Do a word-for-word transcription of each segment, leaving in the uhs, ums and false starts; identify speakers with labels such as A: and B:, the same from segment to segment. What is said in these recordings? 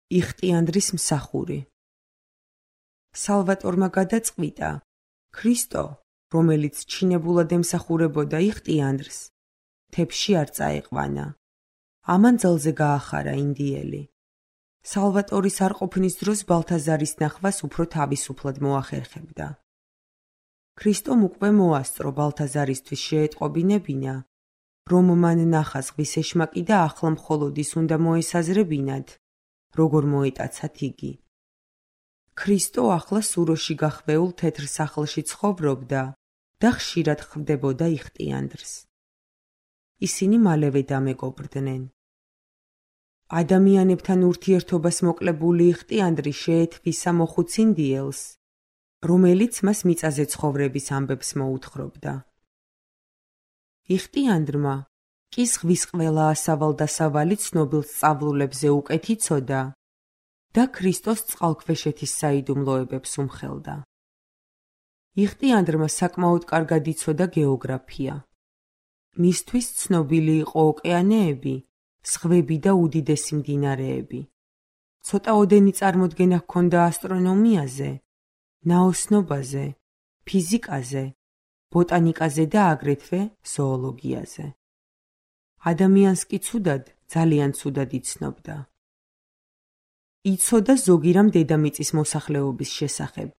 A: იხტიანდრის მსახური. სალვატორმა გადაწყვიტა, ქრისტო, რომელიც ჩინებულად ემსახურებოდა იხტიანდრს, თებში არ წაეყვანა. ამან ძალზე გაახარა ინდიელი. სალვატორის არყოფნის დროს ბალთაზარის ნახვას უფრო თავისუფლად მოახერხებდა. ქრისტომ უკვე მოასწრო ბალთაზარისთვის შეეტყობინებინა, რომ მან ნახა ზღვის ეშმაკი და ახლა მხოლოდ ის უნდა მოესაზრებინათ, როგორ მოეტაცათ იგი. ქრისტო ახლა სუროში გახვეულ თეთრ სახლში ცხოვრობდა და ხშირად ხვდებოდა იხტიანდრს. ისინი მალევე დამეგობრდნენ. ადამიანებთან ურთიერთობას მოკლებული იხტიანდრი შეეთვისა მოხუც ინდიელს, რომელიც მას მიწაზე ცხოვრების ამბებს მოუთხრობდა. იხტიანდრმა კი ზღვის ყველა ასავალ-დასავალი ცნობილ სწავლულებზე უკეთ იცოდა და ქრისტოს წყალქვეშეთის საიდუმლოებებს უმხელდა. იხტიანდრმა საკმაოდ კარგად იცოდა გეოგრაფია. მისთვის ცნობილი იყო ოკეანეები, ზღვები და უდიდესი მდინარეები. ცოტაოდენი წარმოდგენა ჰქონდა ასტრონომიაზე, ნაოსნობაზე, ფიზიკაზე, ბოტანიკაზე და აგრეთვე ზოოლოგიაზე. ადამიანს კი ცუდად, ძალიან ცუდად იცნობდა. იცოდა ზოგი რამ დედამიწის მოსახლეობის შესახებ.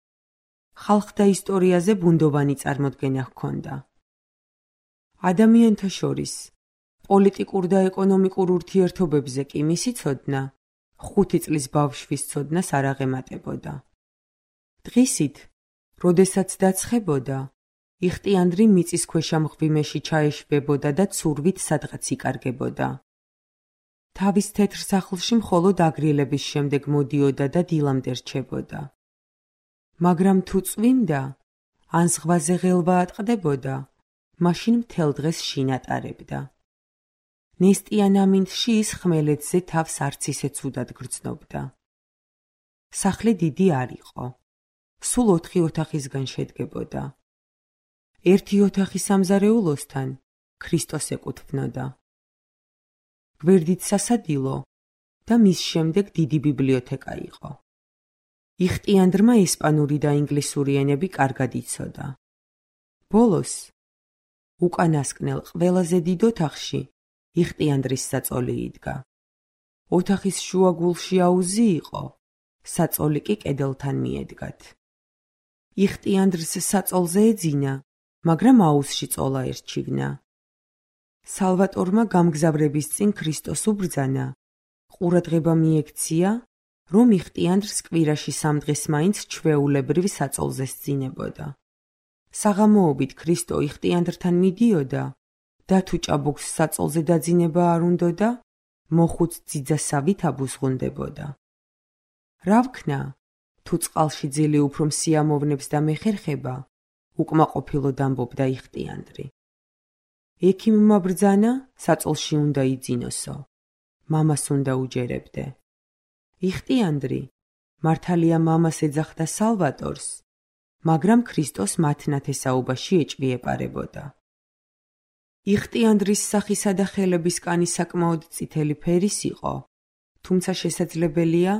A: ხალხთა ისტორიაზე ბუნდოვანი წარმოდგენა ჰქონდა. ადამიანთა შორის პოლიტიკურ და ეკონომიკურ ურთიერთობებზე კი მისი ცოდნა ხუთი წლის ბავშვის ცოდნას არ აღემატებოდა. დღისით, როდესაც დაცხებოდა, იხტიანდრი მიწისქვეშა მღვიმეში ჩაეშვებოდა და ცურვით სადღაც იკარგებოდა. თავის თეთრ სახლში მხოლოდ აგრილების შემდეგ მოდიოდა და დილამდე რჩებოდა. მაგრამ თუ წვიმდა, ან ზღვაზე ღელვა ატყდებოდა, მაშინ მთელ დღეს შინ ატარებდა. ნესტიან ამინდში ის ხმელეთზე თავს არც ისე ცუდად გრძნობდა. სახლი დიდი არ იყო. სულ ოთხი ოთახისგან შედგებოდა. ერთი ოთახი სამზარეულოსთან ქრისტოს ეკუთვნოდა. გვერდით სასადილო და მის შემდეგ დიდი ბიბლიოთეკა იყო. იხტიანდრმა ესპანური და ინგლისური ენები კარგად იცოდა. ბოლოს, უკანასკნელ ყველაზე დიდ ოთახში იხტიანდრის საწოლი იდგა. ოთახის შუაგულში აუზი იყო, საწოლი კი კედელთან მიედგათ. იხტიანდრს საწოლზე ეძინა, მაგრამ აუზში წოლა ერჩივნა. სალვატორმა გამგზავრების წინ ქრისტოს უბრძანა, ყურადღება მიექცია, რომ იხტიანდრს კვირაში სამ დღეს მაინც ჩვეულებრივ საწოლზე სძინებოდა. საღამოობით ქრისტო იხტიანდრთან მიდიოდა და თუ ჭაბუკს საწოლზე დაძინება არ უნდოდა, მოხუც ძიძასავით აბუზღუნდებოდა. რა ვქნა, თუ წყალში ძილი უფრო მსიამოვნებს და მეხერხება, უკმაყოფილოდ ამბობდა იხტიანდრი. ექიმმა ბრძანა, საწოლში უნდა იძინოსო, მამას უნდა უჯერებდე. იხტიანდრი, მართალია მამას ეძახდა სალვატორს, მაგრამ ქრისტოს მათ ნათესაობაში ეჭვიეპარებოდა. იხტიანდრის სახისა და ხელების კანი საკმაოდ წითელი ფერის იყო, თუმცა შესაძლებელია,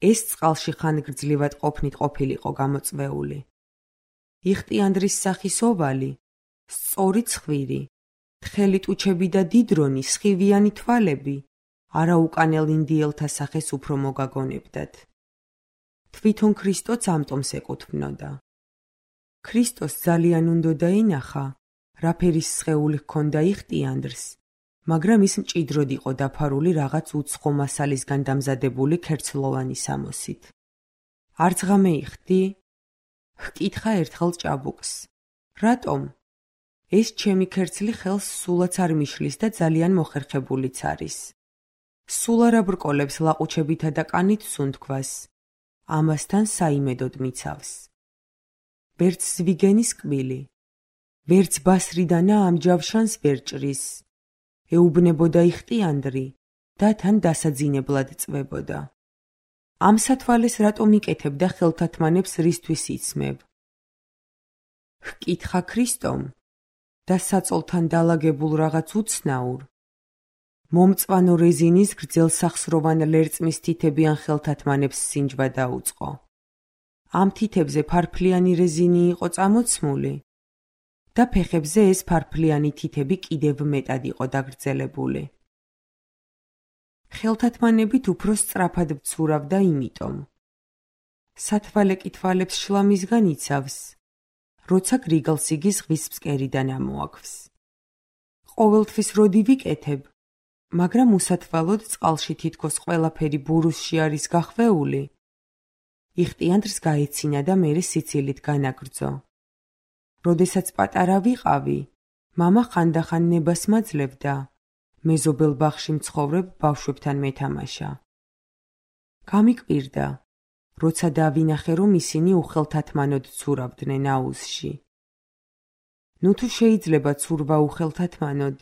A: ეს წყალში ხანგრძლივად ყოფნით ყოფილიყო გამოწვეული. იხტიანდრის სახის ოვალი, სწორი ცხვირი, თხელი ტუჩები და დიდრონი, სხივიანი თვალები, არაუკანელ ინდიელთა სახეს უფრო მოგაგონებდათ. თვითონ ქრისტოც ამტომს ეკუთვნოდა. ქრისტოს ძალიან უნდოდა ენახა, რა ფერის სხეული ჰქონდა იხტიანდრს, მაგრამ ის მჭიდროდ იყო დაფარული რაღაც უცხო მასალისგან დამზადებული ქერცლოვანი სამოსით. არც ღამე იხდი? ჰკითხა ერთხელ ჭაბუკს. რატომ? ეს ჩემი ქერცლი ხელს სულაც არ მიშლის და ძალიან მოხერხებულიც არის. სულ არ აბრკოლებს ლაყუჩებითა და კანით სუნთქვას. ამასთან საიმედოდ მიცავს. ვერც ზვიგენის კბილი, ვერც ბასრიდანა ამ ჯავშანს ვერ ჭრის. ეუბნებოდა იხტიანდრი და თან დასაძინებლად წვებოდა. ამ სათვალეს რატომ იკეთებ და ხელთათმანებს რისთვის იცმებ? ჰკითხა ქრისტომ და საწოლთან დალაგებულ რაღაც უცნაურ, მომწვანო რეზინის გრძელ სახსროვან ლერწმის თითებიან ხელთათმანებს სინჯვა დაუწყო. ამ თითებზე ფარფლიანი რეზინი იყო წამოცმული და ფეხებზე ეს ფარფლიანი თითები კიდევ მეტად იყო დაგრძელებული. ხელთათმანებით უფრო სწრაფად ვცურავდა იმიტომ. სათვალეკი თვალებს შლამისგან იცავს, როცა გრიგალს იგი ზღვის ფსკერიდან ამოაქვს. ყოველთვის როდი ვიკეთებ, მაგრამ უსათვალოდ წყალში თითქოს ყველაფერი ბურუსში არის გახვეული, იხტიანდრს გაეცინა და მერე სიცილით განაგრძო. როდესაც პატარა ვიყავი, მამა ხანდახან ნებას მაძლევდა, მეზობელ ბაღში მცხოვრებ ბავშვებთან მეთამაშა. გამიკვირდა, როცა დავინახე, რომ ისინი უხელთათმანოდ ცურავდნენ აუზში. ნუ თუ შეიძლება ცურვა უხელთათმანოდ,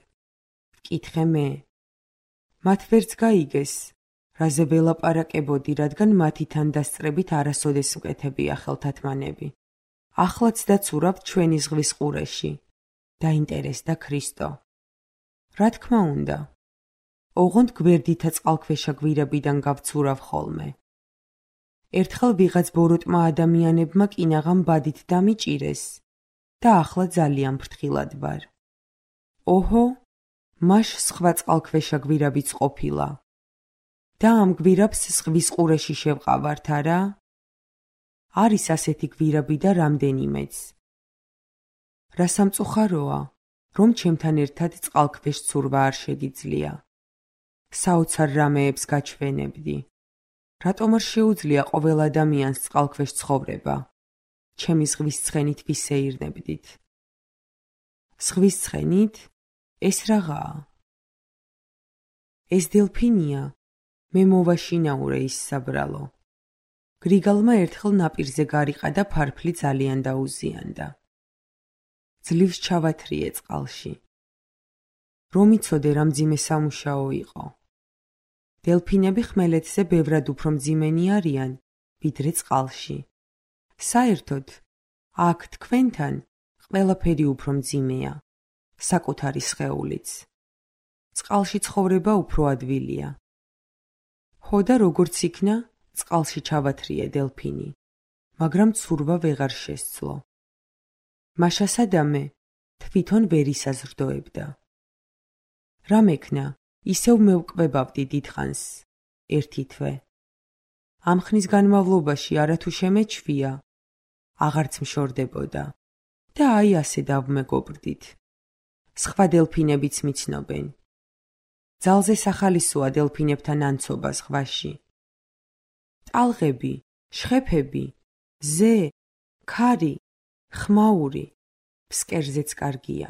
A: ვკითხე მე. მათ ვერც გაიგეს, რაზე ველაპარაკებოდი, რადგან მათი თანდასწრებით არასოდეს მკეთებია ხელთათმანები. ახლაც დაცურავთ ჩვენი ზღვის ყურეში. დაინტერესდა ქრისტო. რა თქმა უნდა, ოღონდ გვერდითა წყალქვეშა გვირაბიდან გავცურავ ხოლმე. ერთხელ ვიღაც ბოროტმა ადამიანებმა კინაღამ ბადით დამიჭირეს და ახლა ძალიან ფრთხილად ვარ. ოჰო, მაშ სხვა წყალქვეშა გვირაბიც ყოფილა. და ამ გვირაბს ზღვის ყურეში შევყავართ, არა? არის ასეთი გვირაბი და რამდენიმეც. რა სამწუხაროა, რომ ჩემთან ერთად წყალქვეშ ცურვა არ შეგიძლია. საოცარ რამეებს გაჩვენებდი. რატომ არ შეუძლია ყოველ ადამიანს წყალქვეშ ცხოვრება? ჩემი ზღვის ცხენით ვისეირნებდით. ზღვის ცხენით? ეს რაღაცა. ეს დელფინია, მე მოვაშინაურე ის საბრალო. გრიგალმა ერთხელ ნაპირზე გარიყა და ფარფლი ძალიან დაუზიანდა. ძლივს ჩავათრიე წყალში. რომ იცოდე რა მძიმე სამუშაო იყო. დელფინები ხმელეთზე ბევრად უფრო მძიმენი არიან, ვიდრე წყალში. საერთოდ, აქ თქვენთან ყველაფერი უფრო მძიმეა, საკუთარი სხეულიც. წყალში ცხოვრება უფრო ადვილია. ხო და როგორც იქნა, წყალში ჩავათრიე დელფინი, მაგრამ ცურვა ვეღარ შესძლო. მაშა სადამე თვითონ ვერ ისაზრდოებდა. რა მექნა, ისევ მევკვებავდი დიდხანს, ერთი თვე. ამ ხნის განმავლობაში არათუ შემეჩვია, აღარც მშორდებოდა და აი ასე დავმეგობრდით. სხვა დელფინებიც მიცნობენ. ძალზე სახალისოა დელფინებთან ანცობა ზღვაში. ტალღები, შხეფები, ზე, ქარი, ხმაური, ფსკერზეც კარგია.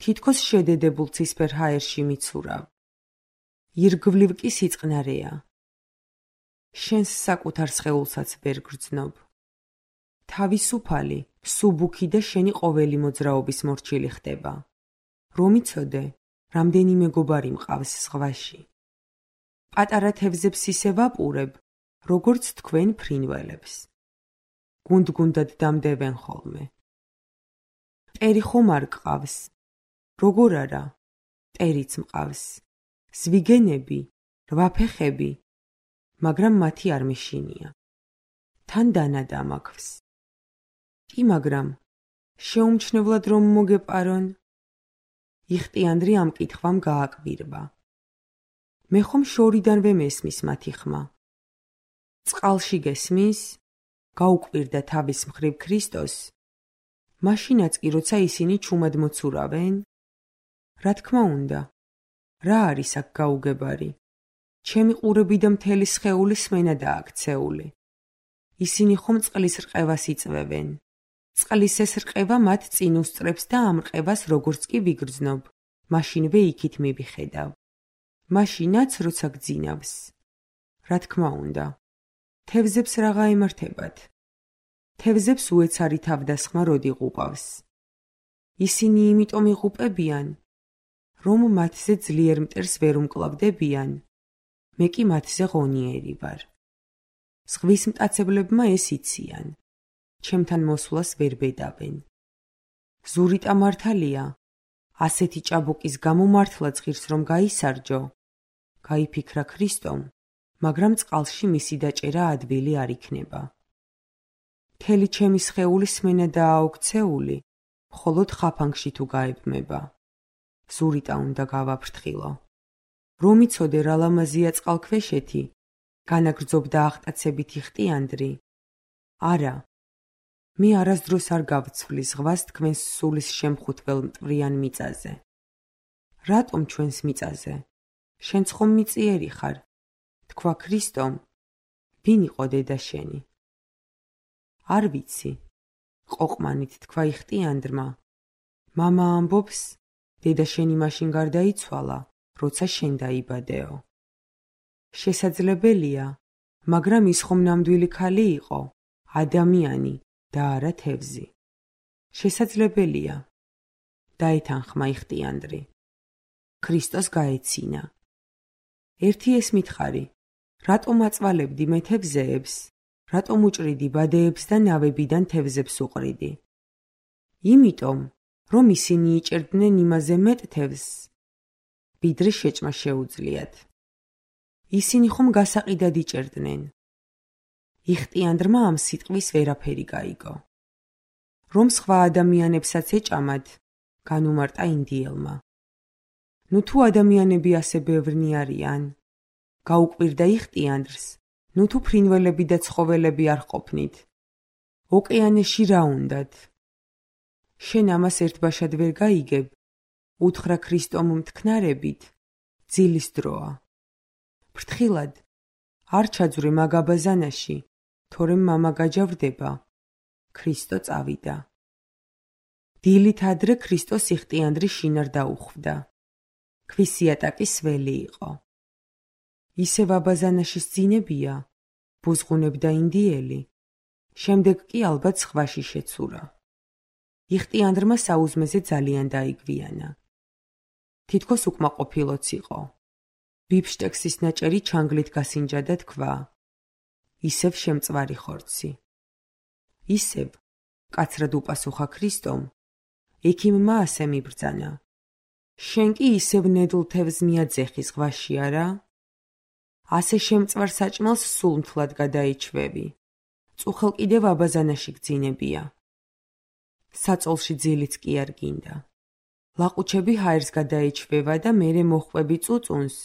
A: თითქოს შედედებულ ცისფერ ჰაერში მიცურავ. ირგვლივ კი სიწყნარეა. შენს საკუთარ სხეულსაც ვერ გრძნობ. თავისუფალი, სუბუქი და შენი ყოველი მოძრაობის მორჩილი ხდება. რომ იცოდე, რამდენი მეგობარი მყავს ზღვაში. პატარა თევზებს ისე ვაპურებ, როგორც თქვენ ფრინველებს. გუნდ-გუნდად დამდევენ ხოლმე. მტერი ხომ არ გყავს? როგორ არა? მტერიც მყავს. ზვიგენები, რვაფეხები, მაგრამ მათი არ მეშინია. თან დანადა მაქვს. კი, მაგრამ შეუმჩნევლად რომ მოგეპარონ? იხტიანდრი ამ კითხვამ გააკვირვა. მე ხომ შორიდანვე მესმის მათი ხმა. წყალში გესმის? გაუკვირდა თავის მხრივ ქრისტოს. მაშინაც კი როცა ისინი ჩუმად მოცურავენ? რა თქმა უნდა. რა არის აქ გაუგებარი? ჩემი ყურები და მთელი სხეული სმენადაა აქცეული. ისინი ხომ წყლის რყევას იწვევენ. წყლის ეს რყევა მათ წინ უსწრებს და ამ რყევას როგორც კი ვიგრძნობ, მაშინვე იქით მივიხედავ. მაშინაც როცა გძინავს. რა თქმა უნდა. თევზებს რაღა ემართებათ. თევზებს უეცარი თავდასხმა როდი იღუპავს. ისინი იმიტომ იღუპებიან, რომ მათზე ძლიერ მტერს ვერ უმკლავდებიან. მე კი მათზე ღონიერი ვარ. ზღვის მტაცებლებმა ეს იციან. ჩემთან მოსვლას ვერ ბედავენ. ზურიტა მართალია, ასეთი ჭაბუკის გამო მართლაც ღირს რომ გაისარჯო, გაიფიქრა ქრისტომ, მაგრამ წყალში მისი დაჭერა ადვილი არ იქნება. მთელი ჩემი სხეული სმენა დააოქცეული, მხოლოდ ხაფანგში თუ გაებმება. ზურიტა უნდა გავაფრთხილო. რომ იცოდე რა ლამაზია წყალქვეშეთი, განაგრძობდა აღტაცებითი ხტიანდრი. არა, მე არასდროს არ გავცვლი ზღვას თქვენს სულის შემხუთველ მტვრიან მიწაზე. რატომ ჩვენს მიწაზე? შენც ხომ მიწიერი ხარ, თქვა ქრისტომ. ვინ იყო დედა შენი? არ ვიცი, ყოყმანით თქვა იხტიანდრმა. მამა ამბობს, დედა შენი მაშინ გარდაიცვალა, როცა შენ დაიბადეო. შესაძლებელია, მაგრამ ის ხომ ნამდვილი ქალი იყო, ადამიანი და არა თევზი. შესაძლებელია. დაეთანხმა იხტიანდრი. ქრისტოს გაეცინა. ერთი ეს მითხარი, რატომ აწვალებდი მე თევზეებს, რატომ უჭრიდი ბადეებს და ნავებიდან თევზებს უყრიდი? იმიტომ, რომ ისინი იჭერდნენ იმაზე მეტ თევზს, ვიდრე შეჭმა შეუძლიათ. ისინი ხომ გასაყიდად იჭერდნენ. იხტიანდრმა ამ სიტყვის ვერაფერი გაიგო. რომ სხვა ადამიანებსაც ეჭამად, განუმარტა ინდიელმა. ნუ თუ ადამიანები ასე ბევრნი არიან, გაუკვირდა იხტიანდრს, ნუ თუ ფრინველები და ცხოველები არ ყოფნით. ოკეანეში რა უნდათ? შენ ამას ერთბაშად ვერ გაიგებ, უთხრა ქრისტომ მთქნარებით, ძილის დროა. ფრთხილად, არ ჩაძვრე მაგაბაზანაში, თორემ მამა გაჯავრდება. ქრისტო წავიდა. დილით ადრე ქრისტოს იხტიანდრი შინარ დაუხვდა. ქვის იატაკის ველი იყო. ისევ აბაზანაში სძინებია, ბუზღუნებდა ინდიელი, შემდეგ კი ალბათ ზღვაში შეცურა. იხტიანდრმა საუზმეზე ძალიან დაიგვიანა. თითქოს უკმაყოფილოც იყო. ბიფშტექსის ნაჭერი ჩანგლით გასინჯა და თქვა, ისევ შემწვარი ხორცი. ისევ, კაცრად უპასუხა ქრისტომ, ექიმმა ასე მიბრძანა. შენ კი ისევ ნედლ თევზს მიაძეხი ზღვაში არა? ასე შემწვარ საჭმელს სულ მთლად გადაიჩვევი. წუხელ კიდევ აბაზანაში გძინებია. საწოლში ძილიც კი არ გინდა. ლაყუჩები ჰაერს გადაიჩვევა და მერე მოხვები წუწუნს.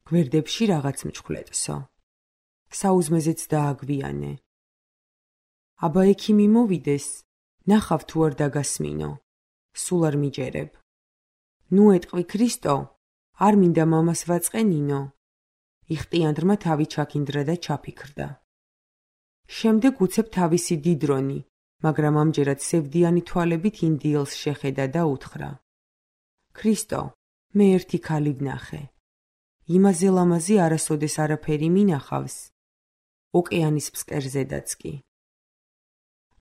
A: გვერდებში რაღაც მჩხვლეტსო. საუზმეზეც დააგვიანე. აბა ექიმი მოვიდეს, ნახავ თუ არ დაგასმინო. სულ არ მიჯერებ. ნუ ეტყვი ქრისტო, არ მინდა მამას ვაწყენინო. იხტიანდრმა თავი ჩაქინდრა და ჩაფიქრდა. შემდეგ უცებ თავისი დიდრონი, მაგრამ ამჯერად სევდიანი თვალებით ინდიელს შეხედა და უთხრა. ქრისტო, მე ერთი ქალი ვნახე. იმაზე ლამაზი არასოდეს არაფერი მინახავს. ოკეანის ფსკერზედაც კი.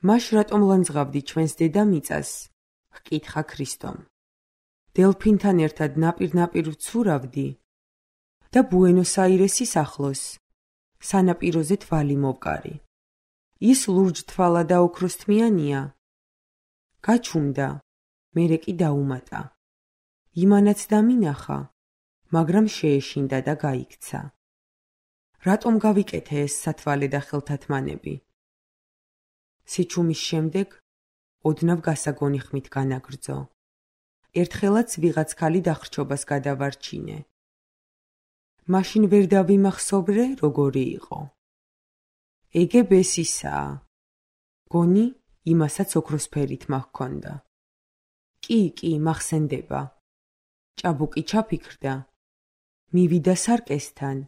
A: მაშ რატომ ლანძღავდი ჩვენს დედამიწას? ჰკითხა ქრისტომ. დელფინთან ერთად ნაპირ-ნაპირ ვცურავდი და ბუენოს-აირესის ახლოს, სანაპიროზე თვალი მოვკარი. ის ლურჯ-თვალა და ოქროსთმიანია. გაჩუმდა, მერე კი დაუმატა. იმანაც დამინახა, მაგრამ შეეშინდა და გაიქცა. რატომ გავიკეთე ეს სათვალე და ხელთათმანები? სიჩუმის შემდეგ ოდნავ გასაგონი ხმით განაგრძო. ერთხელაც ვიღაც ქალი დახრჩობას გადავარჩინე. მაშინ ვერ დავიმახსოვრე, როგორი იყო. ეგებეს ისაა. გონი, იმასაც ოქროსფერით მაჰქონდა. კი, კი, მახსენდება. ჭაბუკი ჩაფიქრდა. მივიდა სარკესთან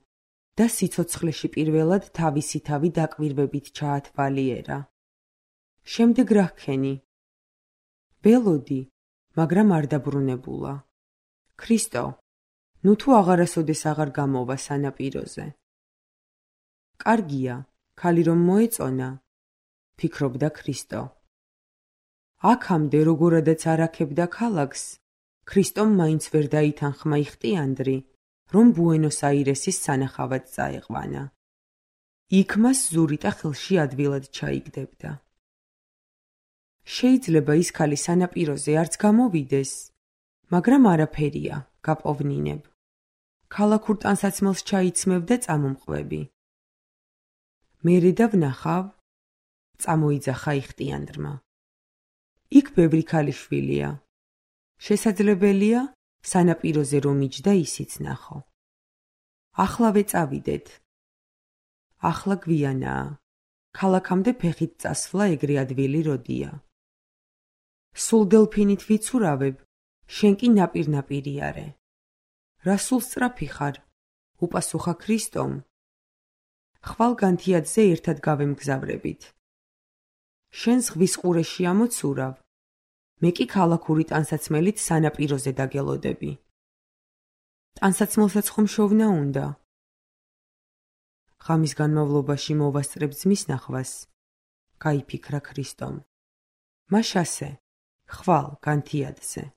A: და სიცოცხლეში პირველად თავისი თავი დაკვირვებით ჩაათვალიერა. შემდეგ რა ჰქენი? ველოდი, მაგრამ არ დაბრუნებულა. ქრისტო, ნუ თუ აღარასოდეს აღარ გამოვა სანაპიროზე. კარგია, ქალი რომ მოეწონა, ფიქრობდა ქრისტო. აქამდე როგორადაც არაქებდა ქალაქს, ქრისტომ მაინც ვერ დაითანხმა იხტიანდრი, რომ ბუენოს-აირესის სანახავად წაეყვანა. იქ მას ზურიტა ხელში ადვილად ჩაიგდებდა. შეიძლება ის ქალი სანაპიროზე არც გამოვიდეს, მაგრამ არაფერია, გაპოვნინებ. ქალაქურ ტანსაცმელს ჩაიცმევ და წამომყვები. მერე და ვნახავ, წამოიძახა იხტიანდრმა. იქ ბევრი ქალიშვილია. შესაძლებელია, სანაპიროზე რომ იჯდა ისიც ნახო. ახლავე წავიდეთ. ახლა გვიანაა. ქალაქამდე ფეხით წასვლა ეგრე ადვილი როდია. სულ დელფინით ვიცურავებ, შენ კი ნაპირ-ნაპირი არე. რა სულ სწრაფი ხარ? უპასუხა ქრისტომ. ხვალ განთიადზე ერთად გავემგზავრებით. შენ ზღვის ყურეში ამოცურავ, მე კი ქალაქური ტანსაცმელით სანაპიროზე დაგელოდები. ტანსაცმელსაც ხომ შოვნა უნდა? ღამის განმავლობაში მოვასწრებ ძმის ნახვას, გაიფიქრა ქრისტომ. მაშასე, ხვალ განთიადზე.